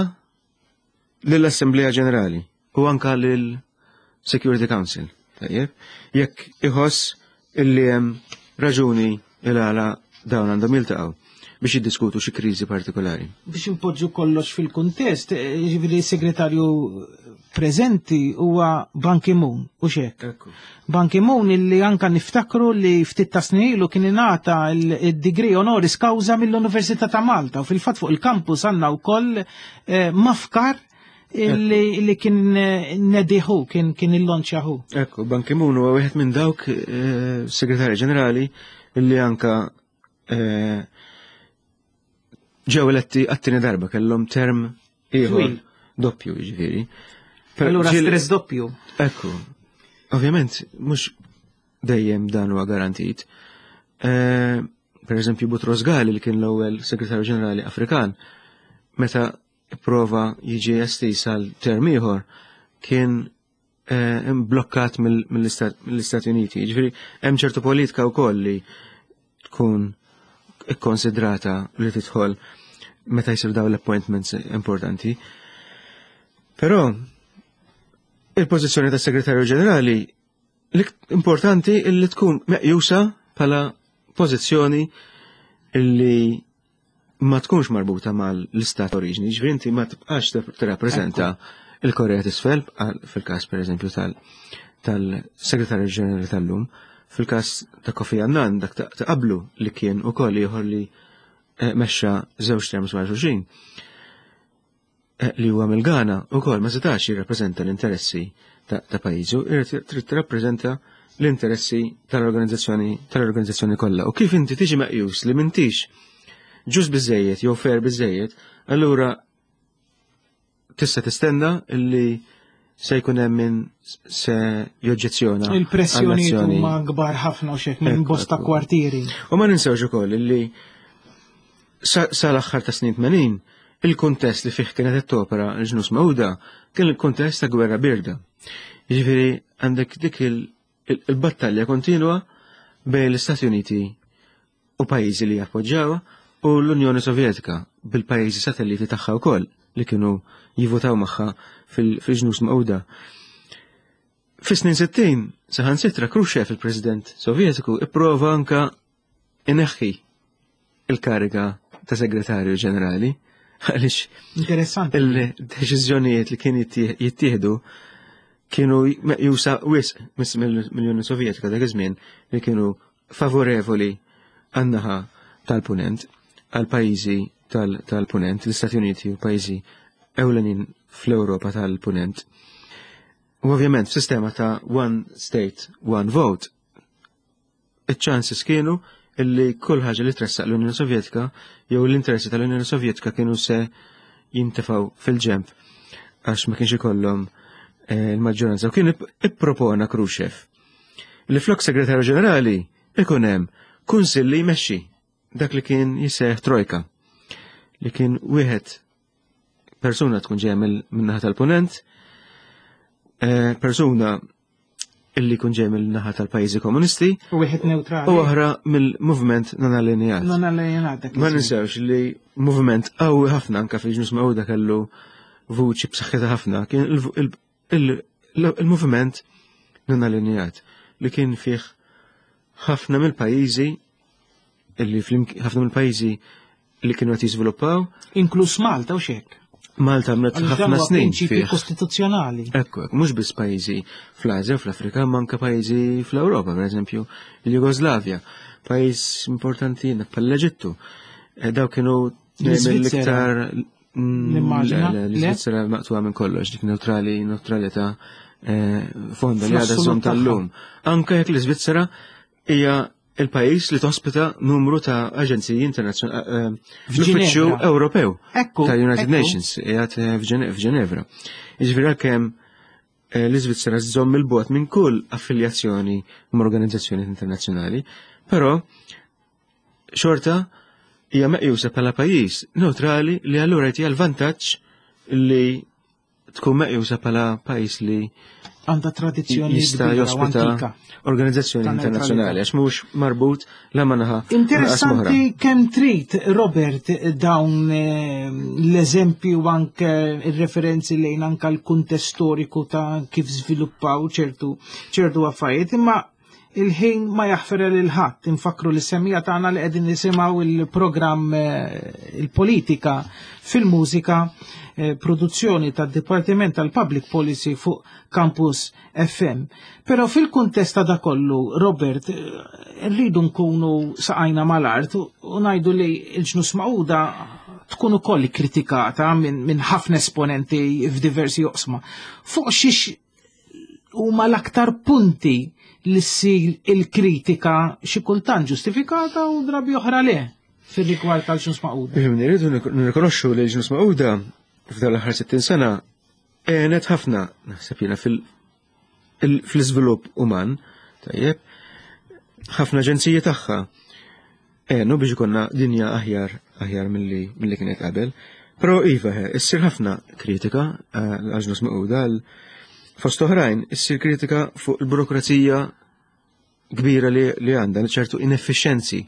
lill-Assemblea Ġenerali u anka lill-Security Council. Tajjeb, jekk iħoss illi hemm raġuni il għala dawn għandhom jiltaqgħu biex jiddiskutu xi kriżi partikolari. Biex impoġġu kollox fil-kuntest, jiġifieri s-segretarju preżenti huwa Ban Ki-moon, u xek. Ban Ki-moon illi anka niftakru li ftit ta' snin ilu kien ingħata il-degree honoris causa mill-Università ta' Malta u fil-fatt fuq il-campus għandna wkoll eh, mafkar illi illi kien eh, nediħu, kien kien illonċjahu. Ekku, Ban Ki-moon huwa wieħed minn dawk eh, segretarji ġenerali illi anka eh, ġew eletti għat-tieni darba, kellhom term ieħor Twil. doppju, jiġifieri. Per- Allura ġil- stress doppju. Ekku, ovvjament, mhux dejjem dan huwa garantit. Eh, per eżempju, Boutros Ghali, li kien l-ewwel segretarju ġenerali Afrikan, meta prova jiġi estiż għal term ieħor, kien eh, blokkat mill- mill-Istat- mill-Istati Uniti. Jiġifieri hemm ċertu politika wkoll li tkun ikkonsidrata li tidħol meta jsir dawn l-appointments importanti. Però il-pożizzjoni tas segretarju ġenerali l importanti illi tkun meqjusa bħala pożizzjoni illi ma tkunx marbuta mal-istat oriġini, ġifieri inti ma tibqax tirrappreżenta il-Korea t'Isfel, għal- fil-każ pereżempju tal- tal-segretarju ġenerali tal-lum, fil-każ ta' Kofi Annan dak ta' ta' qablu li kien ukoll ieħor li eh, mexxa żewġ terms wara xulxin. Eh, li huwa mill-Ghana ukoll ma setax jirrappreżenta l-interessi ta' ta' pajjiżu, irid trid tirrappreżenta l-interessi tal-organizzazzjoni tal-organizzazzjoni kollha. U kif inti tiġi meqjus li m'intix ġust biżejjed jew fair biżejjed, allura tista' tistenna illi se jkun hemm min se joġġezzjona Il-pressjonijiet għall-azzjoni. huma kbar ħafna u xek minn Ekku, bosta ekku. kwartieri. U ma ninsewx ukoll illi sa sal-aħħar ta' snin tmenin il-kuntest li fih kienet qed topera l-Ġnus Magħquda kien il-kuntest ta' gwerra birda. Jiġifieri għandek dik il- il- il-battalja kontinwa bejn l-Istati Uniti u pajjiżi li jappoġġawha u l-Unjoni Sovjetika bil-pajjiżi satelliti tagħha wkoll li kienu jivvotaw magħha fil- fil-Ġnus Magħquda. Fis-snin sittin, saħansitra Khrushchev, il-President Sovjetiku, ipprova anka ineħħi il-kariga ta' segretarju ġenerali għaliex Interessanti. il-deċiżjonijiet li kien jittieħ- jittieħdu kienu meqjusa wisq mis- mill-Unjoni Sovjetika dak iż-żmien li kienu favorevoli għan-naħa tal-punent, għal pajjiżi tal- tal-punent, l-Istati Uniti u pajjiżi ewlenin fl-Ewropa tal-punent. U ovvjament f'sistema ta' one state, one vote, iċ-chances kienu illi kull ħaġa li tressaq l-Unjoni Sovjetika jew l-interessi tal-Unjoni Sovjetika kienu se jintefgħu fil-ġemp għax ma kienx ikollhom eh, il-maġġoranza. U kien ip- ippropona Khrushchev li flok segretarju ġenerali ikun hemm kunsill li jmexxi dak li kien jisejjaħ trojka, li kien wieħed persuna tkun ġejja mill- min-naħa tal-punent, Eh, persuna illi kun ġej mill-naħa tal-pajjiżi komunisti U wieħed neutrali. u oħra mill-movement non-allineat. Non allineat dak Ma iż-żmien. ninsewx li movement qawwi ħafna anka fil-Ġnus Magħquda kellu vuċi b'saħħitha ħafna kien il- il- il- il-movement non-allineat li kien fih ħafna mill-pajjiżi illi flimk- ħafna mill-pajjiżi li kienu qed jiżviluppaw. Inkluż Malta u xek. Malta għamlet Għaliex dan ħafna huwa snin prinċipji fih. kostituzzjonali. Ekku, ekku, mhux biss pajjiżi fl-Asja u fl-Afrika, ma anke pajjiżi fl-Ewropa, per eżempju, il-Jugoslavja, pajjiż importanti bħal l-Eġittu. Eh, Daw kienu L-Iżvizzera. mill-iktar Mm, Nimmaġina, le, le, le? L-Iżvizzera maqtuha minn kollox, dik neutrali, neutralità eh, fonda li għadha Fl-assolut żomm tagħha. tal-lum. Anke jekk l-Iżvizzera hija il-pajjiż li tospita numru ta' aġenziji internazzjonali, l-uffiċċju F'Ġinevra. Ewropew Ekku, tal-United ekku. Nations qiegħed eh, f'Ġene- f'Ġenevra. Jiġifieri għalkemm eh, l-Iżvizzera żżomm il-bogħod minn kull affiljazzjoni ma' organizzazzjoni internazzjonali, però xorta hija meqjusa bħala pajjiż neutrali li allura jtiha l-vantaġġ li tkun meqjusa bħala pajjiż li Għandha tradizzjoni jista' kbira u jospita antika. organizzazzjoni Ta' internazzjonali għax mhux marbut la ma' naħa lanqas Interessanti kemm trid, Robert, dawn eh, l-eżempju u anke il-referenzi lejn anke l-kuntest storiku ta' kif żviluppaw ċertu ċertu affarijiet, imma il-ħin ma jaħfer lil ħadd. Infakru li semmiegħa tagħna li qegħdin nisimgħu il-programm eh, il-politika fil-mużika, eh, produzzjoni tad-Dipartiment tal-Public Policy fuq Campus F M. Però fil-kuntest ta' da kollu, Robert, eh, rridu nkunu saqajna mal-art u u ngħidu li l-Ġnus Magħquda tkun ukoll kritikata minn min ħafna esponenti f'diversi oqsma. Fuq xiex huma l-aktar punti li ssir il-kritika, xi kultant ġustifikata u drabi oħra le, fir-rigward tal-Ġnus Magħquda? Ifhimni, rridu nirrikonoxxu li l-Ġnus Magħquda f'dan l-aħħar sittin sena għenet ħafna, naħseb jiena, fil- il- fl-iżvilupp uman, tajjeb, ħafna aġenziji tagħha għenu biex ikonna dinja aħjar aħjar milli milli kienet qabel. Però iva, he, issir ħafna kritika eh, għal-Ġnus Magħquda għal fost oħrajn, issir kritika fuq il-burokrazija kbira li, li għandha, ċertu inefficienzi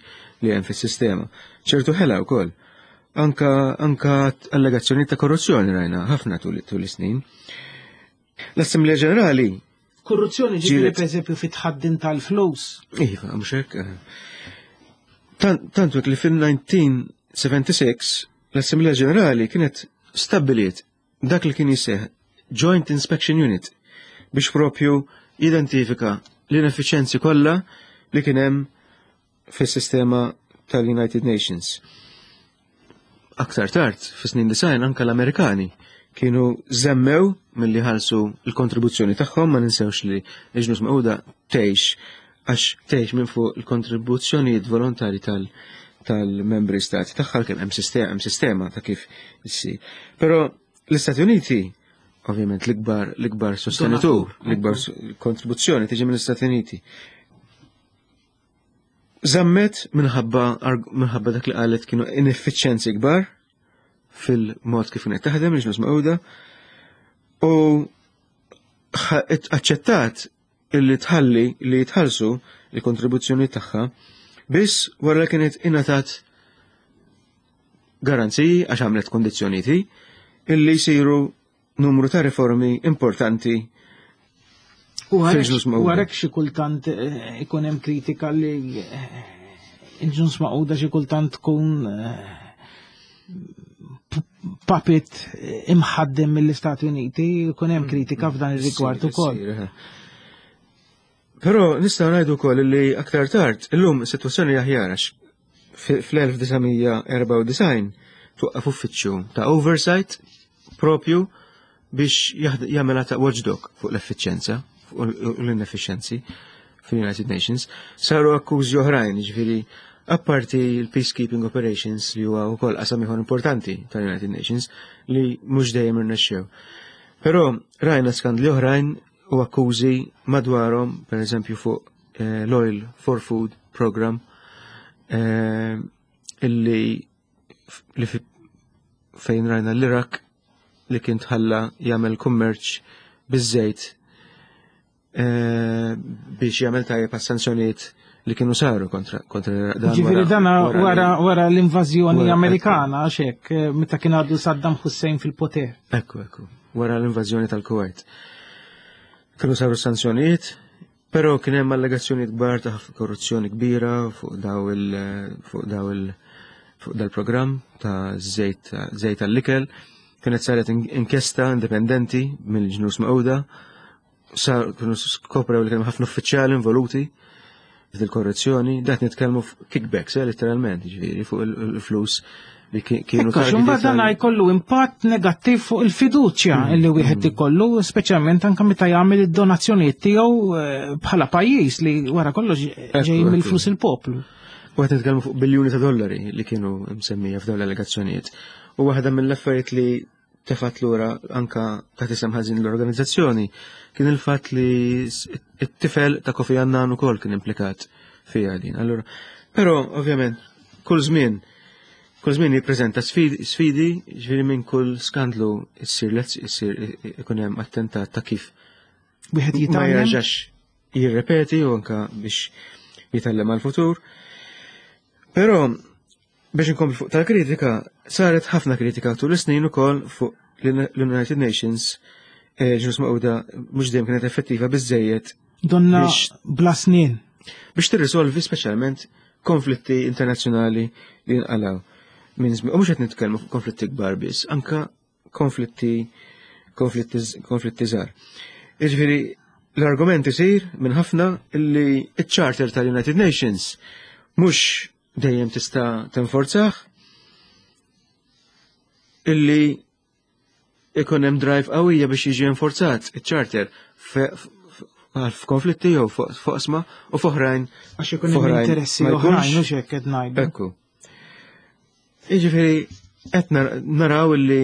li hemm fis-sistema, ċertu ħela wkoll. Anka, anka allegazzjoni ta' korruzzjoni rajna ħafna tul tul is-snin. L-Assemblea Ġenerali Korruzzjoni ġifieri Ġiet. per eżempju fit-tħaddim tal-flus. Iva, mhux hekk. eh. Tant tantu hekk li fil-elf disa' mija u sebgħa u sebgħin l-Assemblea Ġenerali kienet stabbiliet dak li kien jisejjaħ Joint Inspection Unit biex propju identifika l-ineffiċenzi kollha li kien hemm fis-sistema tal-United Nations. Aktar tard, fis-snin disgħin, anka l-Amerikani kienu żammew milli ħalsu l-kontribuzzjoni tagħhom. Ma ninsewx li l-Ġnus Magħquda tgħix għax tgħix minn fuq il-kontribuzzjonijiet volontari tal tal-membri stati tagħha, kemm hemm sistema hemm sistema ta' kif issir. Però l-Istati Uniti, ovvjament l-ikbar l-ikbar sostenitur, l-ikbar kontribuzzjoni tiġi mill-Istati Uniti. Zammet minħabba minħabba dak li qalet kienu ineffiċjenzi kbar fil-mod kif kienet taħdem il-Ġnus Magħquda u aċċettat illi tħalli li jitħallsu il-kontribuzzjoni tagħha biss wara li kienet ingħatat garanziji, għax għamlet kondizzjonijiet, illi jsiru numru ta' riformi importanti U fil-Ġnus Magħquda. U għalhekk xi kultant eh, ikun hemm kritika li eh, il-Ġnus Magħquda xi kultant tkun eh, puppet imħaddem mill-Istati Uniti, ikun hemm kritika f'dan ir-rigward ukoll. Però nistgħu ngħidu wkoll li aktar tard illum is-sitwazzjoni aħjar, għax fl-elf disa' mija erbgħa u disgħin twaqqaf uffiċċju ta' oversight propju biex jagħmel ta' watchdog fuq l-effiċjenza u l-inefficiency fil-United Nations. Saru akkużi oħrajn, ġifieri apparti l-peacekeeping operations li huwa wkoll qasam ieħor importanti tal-United Nations li mhux dejjem irnexxew. Però rajna skandli oħrajn u akkużi madwarhom, per eżempju fuq eh, l-Oil for Food Program eh, illi li fejn rajna l-Irak li kien tħalla jagħmel kummerċ biż-żejt. eh, biex jagħmel tajjeb għas-sanzjonijiet li kienu saru kontra kontra dan. Ġifieri dana wara wara l-invażjoni wara- Amerikana, għax hekk, eh, meta kien għadu Saddam Hussein fil-poter. Ekku, ekku, wara l-invażjoni tal-Kuwait. Kienu saru sanzjonijiet, però kien hemm allegazzjonijiet kbar ta' korruzzjoni kbira fuq daw il fuq daw il fuq dal-programm ta' żejt żejt tal-ikel. Kienet saret in- inkjesta indipendenti mill-Ġnus Magħquda. Sar kienu skoprew li kien hemm ħafna uffiċjali involuti fil-korruzzjoni, dat nitkellmu kickbacks, eh, letteralment, ġifieri, fuq il- il-flus li ki- kienu Ekku, xumba targeted dan għal- jkollu impatt negattiv fuq il-fiduċja illi wieħed ikollu, speċjalment anke meta jagħmel id-donazzjonijiet tiegħu eh, bħala pajjiż li wara kollox ġej ekku. mill-flus il-poplu. U qed nitkellmu fuq biljuni ta' dollari li kienu msemmija f'dawn l-allegazzjonijiet. U waħda mill-affarijiet li tefat lura anka ta' tisem ħażin l-organizzazzjoni kien il-fatt li s- it-tifel ta' Kofi Annan ukoll kien implikat fiha din. Allura, però ovvjament kull żmien kull żmien jippreżenta sfidi, sfidi ġifieri minn kull skandlu issir lezz issir ikun hemm attentat ta' kif Wieħed ma jitgħallem. jerġax jirrepeti u anka biex jitgħallem għal-futur. Però biex inkompli fuq tal-kritika, saret ħafna kritika tul is-snin ukoll fuq l-United Nations, eh, Ġnus Magħquda mhux dejjem kienet effettiva biżejjed Donna biex- bla snin. biex tirrisolvi speċjalment konflitti internazzjonali li nqalaw. Minn żmien, u mhux qed nitkellmu fuq konflitti kbar biss, anka konflitti konflitti konflitti żgħar. Jiġifieri l-argument isir minn ħafna illi iċ-Charter tal-United Nations mhux dejjem tista' tenforzah, illi ikun hemm drive qawwija biex jiġi enforzat iċ-charter f- f- f'konflitti jew fuq f'oqsma u f'oħrajn Għax ikun hemm f'oħrajn interessi ma oħrajn jkunx. u x'hekk qed ngħidu. Ekku. Jiġifieri qed nar- naraw illi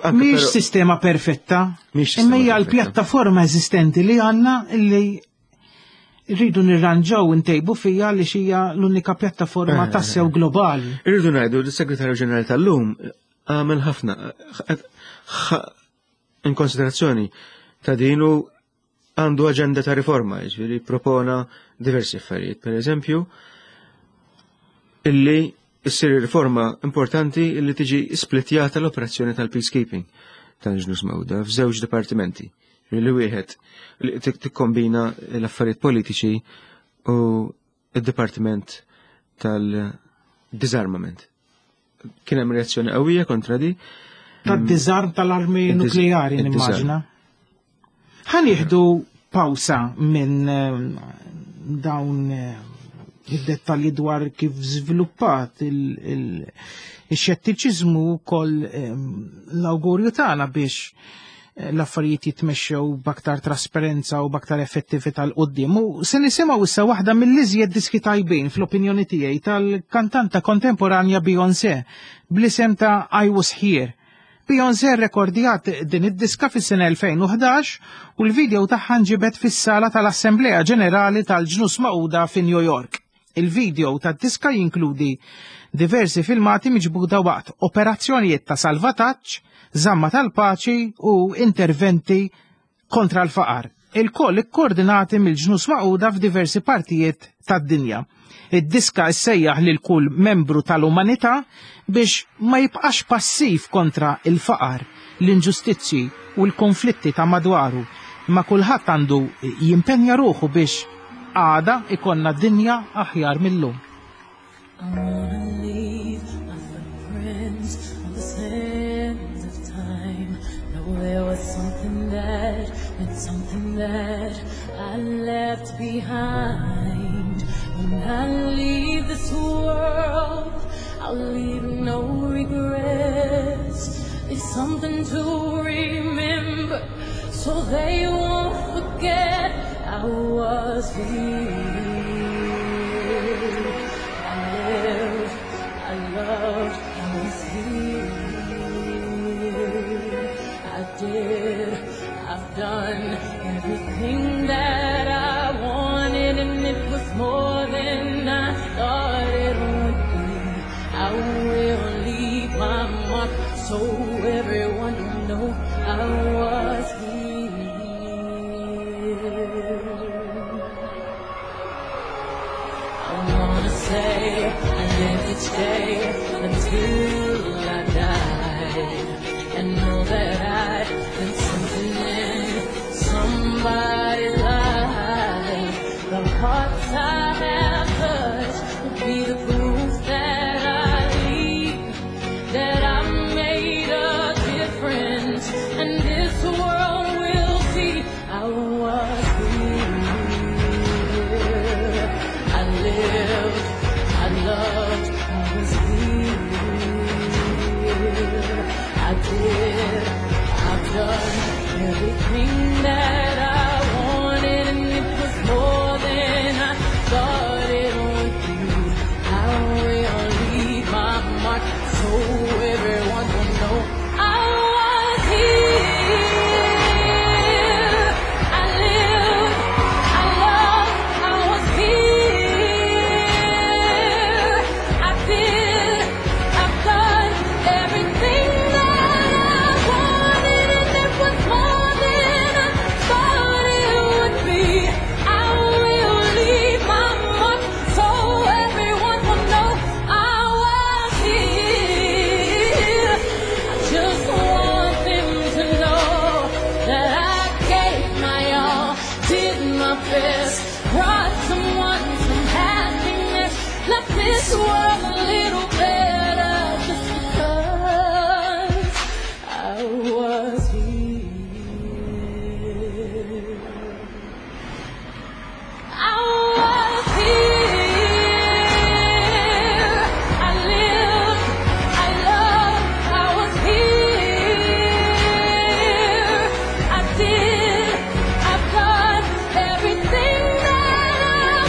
anke Mhix però- sistema perfetta, Mhix sistema imma hija perfetta. l-pjattaforma eżistenti li għandna illi rridu nirranġaw ntejbu fija li xija l-unika pjattaforma Eh, tassew globali. Irridu ngħidu li s-Segretarju Ġenerali tal-lum għamel ħafna ħa- in konsiderazzjoni ta' dinu għandu aġenda ta' riforma, jiġifieri propona diversi affarijiet. Per eżempju, illi issir riforma importanti illi tiġi splittjata l-operazzjoni tal-peacekeeping tal-Ġnus Magħquda f'żewġ dipartimenti. Li wieħed li tik- tikkombina l-affarijiet politiċi u id-dipartiment tal-disarmament. Kien hemm reazzjoni qawwija kontra di. Tad-disarm tal-armi Id-dis- nukleari id-disarm. nimmaġina. Ħa nieħdu pawsa minn eh, dawn eh, id-dettalji dwar kif żviluppat il-xettiċiżmu kol l-awgurju tagħna biex eh, l-affarijiet jitmexxew b'aktar trasparenza u b'aktar effettività 'l quddiem. U se nisimgħu issa waħda mill-iżjed diski tajbin fl-opinjoni tiegħi tal-kantanta kontemporanja Beyoncé bl-isem ta' I Was Here. Beyoncé rekordjat din id-diska fis-sena elfejn u ħdax u l-video tagħha nġibet fis-sala tal-Assemblea Ġenerali tal-Ġnus Magħquda fi New York. Il-video tad-diska jinkludi diversi filmati miġbuda waqt operazzjonijiet ta' salvataġġ, żamma tal-paċi u interventi kontra l-faqar. Il-koll ikkoordinati mill-Ġnus Magħquda f'diversi partijiet tad-dinja. Id-diska issejjaħ lil kull membru tal-umanità biex ma jibqax passiv kontra il-faqar, l-inġustizzji u l-konflitti ta' madwaru, imma kulħadd għandu jimpenja ruħu biex għada ikollna dinja aħjar mill-lum. I wanna leave my footprints on the sands of time. Know there was something that meant something that I left behind. When I leave this world, I'll leave no regrets. Leave something to remember, so they won't forget I was here. I lived, I loved, I was here. I did, I've done everything that I wanted, and it was more than I thought it would be. I will leave my mark so everyone will know I was here. everything that I wanted, and it was more than I thought it would be. I will leave my mark so everyone will know I was here. I lived, I loved, I was here. I did, I've done everything that I wanted, and it was more than I thought it would be. I will leave my mark so everyone will know I was here. I just want them to know that I gave my all, did my best, brought someone some happiness, left this world a little better just because I was here. I was here. I lived, I loved, I was here. I did, I've done everything that I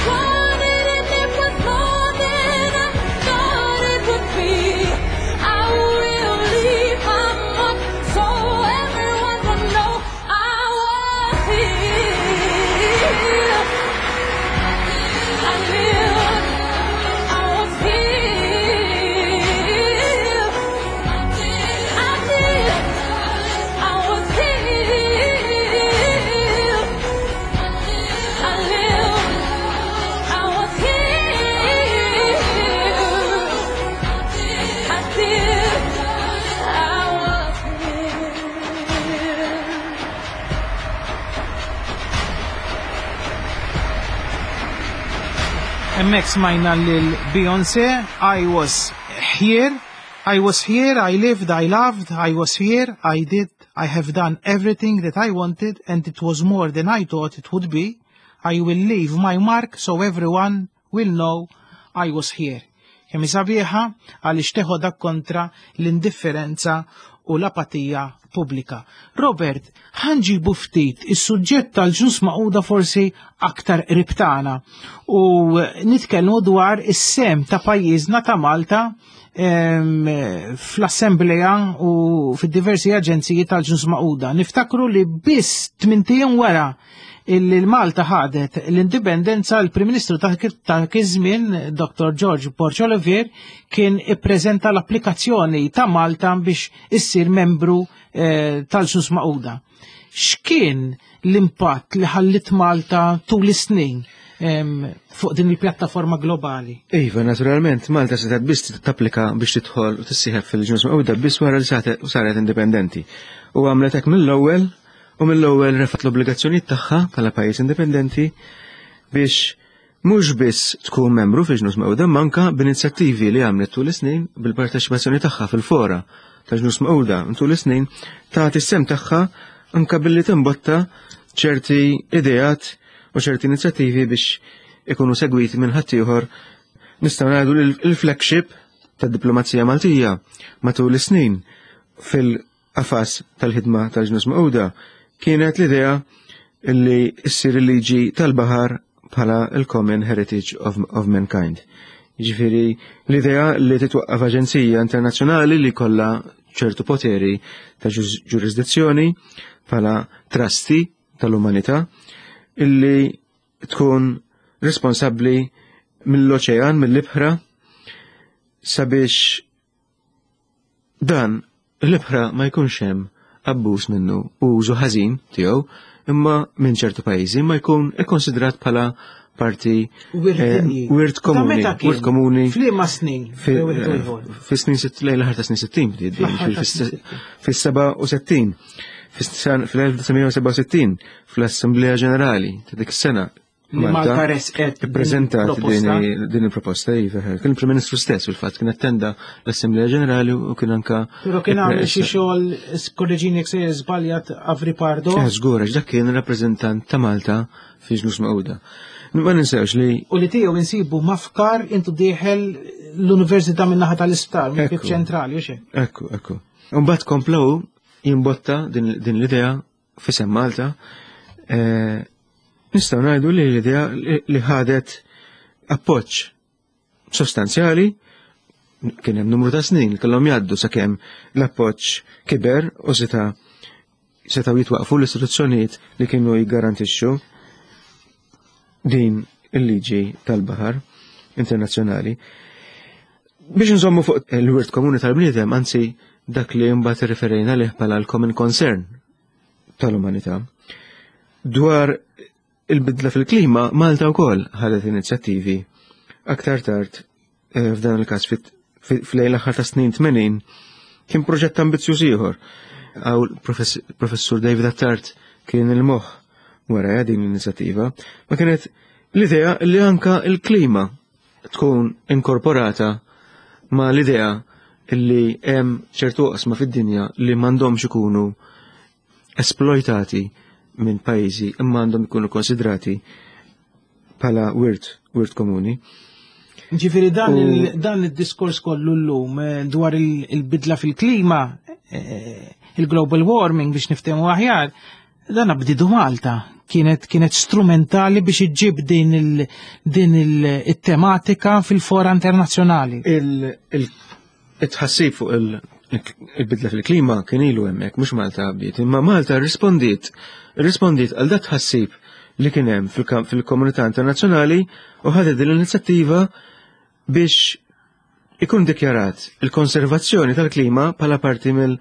wanted, and it was more than I thought it would be. I will leave my mark so everyone will know I was here. I lived, I was here. I did, I was here. I lived, I was here. I did, I was here. Hemmhekk smajna lil Beyoncé, I was here, I was here, I lived, I loved, I was here, I did, I have done everything that I wanted and it was more than I thought it would be. I will leave my mark so everyone will know I was here. Kemm hi sabiħa għaliex teħodha kontra l-indifferenza u l-apatija pubblika. Robert, ħa nġibu ftit is-suġġett tal-Ġnus Magħquda forsi aktar qrib tagħna u nitkellmu dwar is-sehem ta' pajjiżna ta' Malta em, fl-Assembleja u fid-diversi aġenziji tal-Ġnus Magħquda. Niftakru li biss tmint ijiem wara illi l-Malta ħadet l-indipendenza, l-Prim Ministru ta' dak iż-żmien, Dottor George Borg Olivier, kien ippreżenta l-applikazzjoni ta' Malta biex issir membru eh, tal-Ġnus Magħquda. X'kien l-impatt li ħallit Malta tul is-snin em, fuq din il-pjattaforma globali? Iva, naturalment, Malta setgħet biss tapplika biex tidħol u tissieħeb fil-Ġnus Magħquda biss wara li saret saret indipendenti. U għamlet hekk mill-ewwel u mill-ewwel refgħet l-obbligazzjonijiet tagħha bħala pajjiż indipendenti biex mhux biss tkun membru fil-Ġnus Magħquda manka b'inizjattivi li għamlet tul is-snin bil-parteċipazzjoni tagħha fil-fora ta' Ġnus Magħquda tul is-snin tagħti s-sehem tagħha anka billi timbotta ċerti ideat u ċerti inizjattivi biex ikunu segwiti minn ħaddieħor. Nistgħu ngħidu li l-flagship tad-diplomazija Maltija matul is-snin fil-qafas tal-ħidma tal-Ġnus Magħquda kienet l-idea li ssir il-liġi tal-baħar bħala il-Common Heritage of, of Mankind. Jiġifieri l-idea li titwaqqaf aġenzija internazzjonali li kollha ċertu poteri ta' ġuris- ġurisdizzjoni bħala trustee tal-umanità illi tkun responsabbli mill-oċean, mill-ibħra, sabiex dan l-ibħra ma jkunx hemm abbuż minnu u użu ħażin tiegħu imma minn ċertu pajjiżi ma jkun ikkonsidrat bħala parti Wirt eh, dinji. wirt Ta' komuni, meta kien? wirt komuni F'liema snin? fi- Bejn wieħed u ieħor. fi snin sitt- lejn l-aħħar ta' snin sittin bdiet din, Fl-aħħar ta' fis- snin sittin. fis-seba' u sittin, fis-elf disa' mija u sebgħa u sittin fl-Assemblea Ġenerali ta' dik is-sena Li Malta resqet ippreżentat proposta. din din il-proposta, iva, kien il-Prim Ministru stess fil-fatt kien attenda l-Assemblea Ġenerali u kien anka Pero kien għamel xi ipre- xogħol, korreġini jekk se żbaljat, Avri Pardo. Eh, żgur, għax dak kien rappreżentant ta' Malta fi Ġnus Magħquda. Ma ninsewx li U li tiegħu insibu mafkar intu dieħel l-Università min-naħa tal-isptar, minn Ekku. ċentrali, u xejn. Ekku, ekku. Mbagħad komplew jimbotta din, din l-idea f'isem Malta, eh, nistgħu ngħidu li l-idea li ħadet appoġġ sostanzjali. Kien hemm numru ta' snin li kellhom jgħaddu sakemm l-appoġġ kiber u seta' setgħu jitwaqfu l-istituzzjonijiet li kienu jiggarantixxu din il-liġi tal-baħar internazzjonali. Biex nżommu fuq il-wirt komuni tal-bniedem, anzi dak li mbagħad irreferejna lih bħala l-common concern tal-umanità. Dwar il-bidla fil-klima, Malta wkoll ħadet inizjattivi aktar tard, eh, f'dan il-każ fl-lejl aħħar ta' snin tmenin, kien proġett ambizzjuż ieħor. Għaw professur David Attard kien il-moħħ wara din l-inizjattiva, ma kienet l-idea li anka il-klima tkun inkorporata ma l-idea li hemm ċertu oqsma fid-dinja li m'għandhomx ikunu esploitati minn pajjiżi imma għandhom ikunu konsidrati bħala wirt, wirt komuni. Ġifieri dan, il, dan il-diskors kollu llum eh, dwar il-bidla fil-klima, eh, il-global warming biex niftehmu aħjar, dan bdidu Malta. Kienet, kienet strumentali biex iġġib din il, din il-tematika fil-fora internazzjonali. Il-tħassib fuq il-bidla fil-klima kien ilu hemmhekk, mhux Malta bdiet, imma Malta rispondiet, rispondiet għal dat tħassib li kien hemm fil-komunità internazzjonali u ħadet din l-inizjattiva biex ikun dikjarat il-konservazzjoni tal-klima bħala parti mill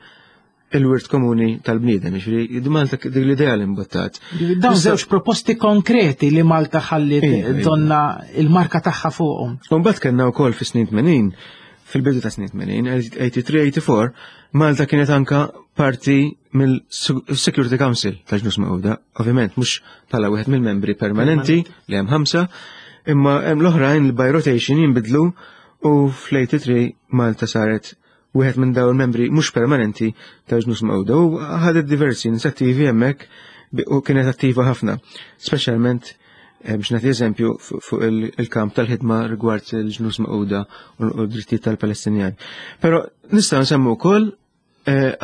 il-wirt komuni tal-bniedem, ġifieri Malta dik l-idea li mbuttat. Dawn żewġ proposti konkreti li Malta ħallit donna il-marka tagħha fuqhom. U mbagħad kellna wkoll fis-snin tmenin, fil-bidu ta' snin tmenin, eighty-three eighty-four, Malta kienet anka parti mill-Security Council tal-Ġnus Magħquda, ovvjament mhux bħala wieħed mill-membri permanenti li hemm ħamsa, imma hemm l-oħrajn li by rotation jinbidlu u fl-eighty-three Malta saret wieħed minn dawn il-membri mhux permanenti tal-Ġnus Magħquda u ħadet diversi inizjattivi hemmhekk u kienet attiva ħafna, speċjalment biex nagħti eżempju fuq il-kamp tal-ħidma rigward il-Ġnus Magħquda u d-drittijiet tal-Palestinjani. Però nistgħu nsemmu wkoll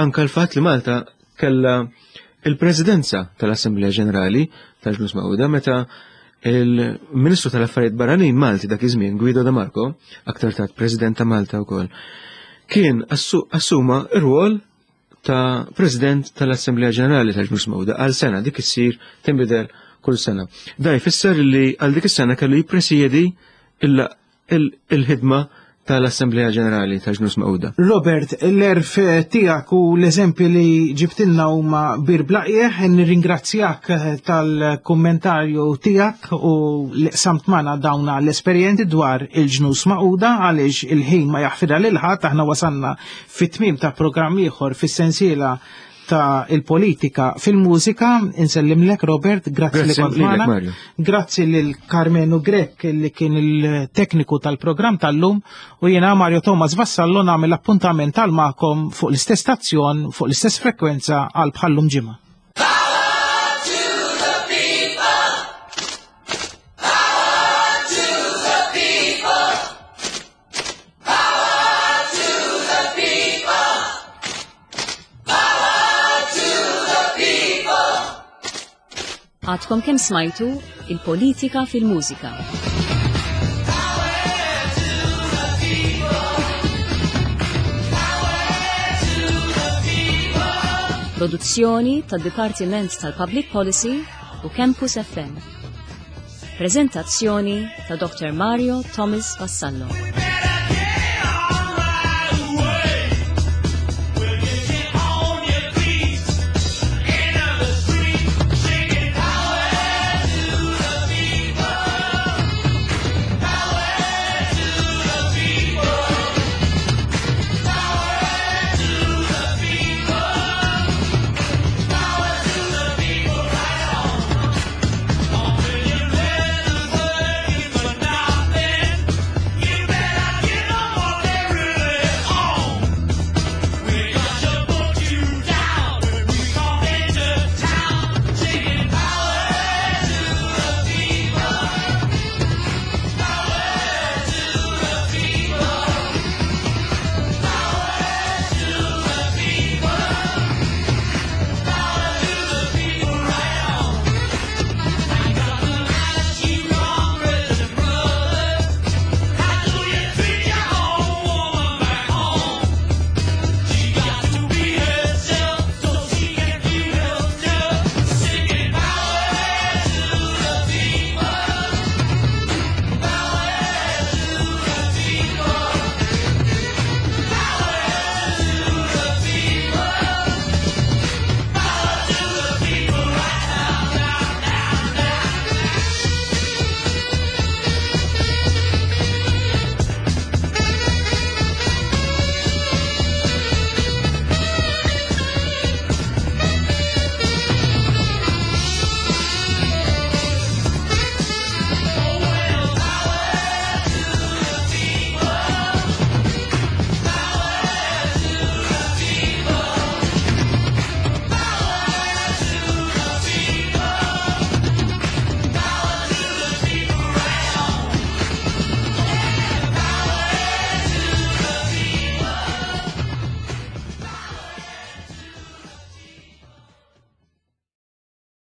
anke l-fatt li Malta kellha il-Presidenza tal-Assemblea Ġenerali tal-Ġnus Magħquda meta il-Ministru tal-Affarijiet Barranin Malti dak iż-żmien, Guido De Marco, aktar tard President ta' Malta wkoll, kien assuma r-rwol ta' President tal-Assemblea Ġenerali tal-Ġnus Magħquda għal sena, dik issir tinbidel kull sena. Da jfisser li għal dik is-sena kellu jippresjedi il-ħidma tal-Assemblea Ġenerali tal-Ġnus Magħquda. Robert, l-erf tiegħek u l-eżempji li ġibtilna huma bir blaqieħ, nirringrazzjak tal-kummentarju tiegħek u li qsamt magħna dawna l-esperjenzi dwar il-Ġnus Magħquda, għaliex il-ħin ma jaħfidha lil ħadd. Aħna wasalna fit-tmiem ta' programm ieħor fis-sensiela ta' il-politika fil-mużika. Insellimlek Robert, grazzi li kont magħna. Grazzi lil Carmenu Grech li kien il-tekniku tal-programm tal-lum, u jiena Mario Thomas Vassallo nagħmel appuntament tal-magħkom fuq l-istess stazzjon, fuq l-istess frekwenza għal bħallum ġimgħa. Għadkom kemm smajtu il-politika fil-mużika. Produzzjoni tad-Dipartiment tal-Public Policy u Campus F M. Prezentazzjoni ta' Doctor Mario Thomas Vassallo.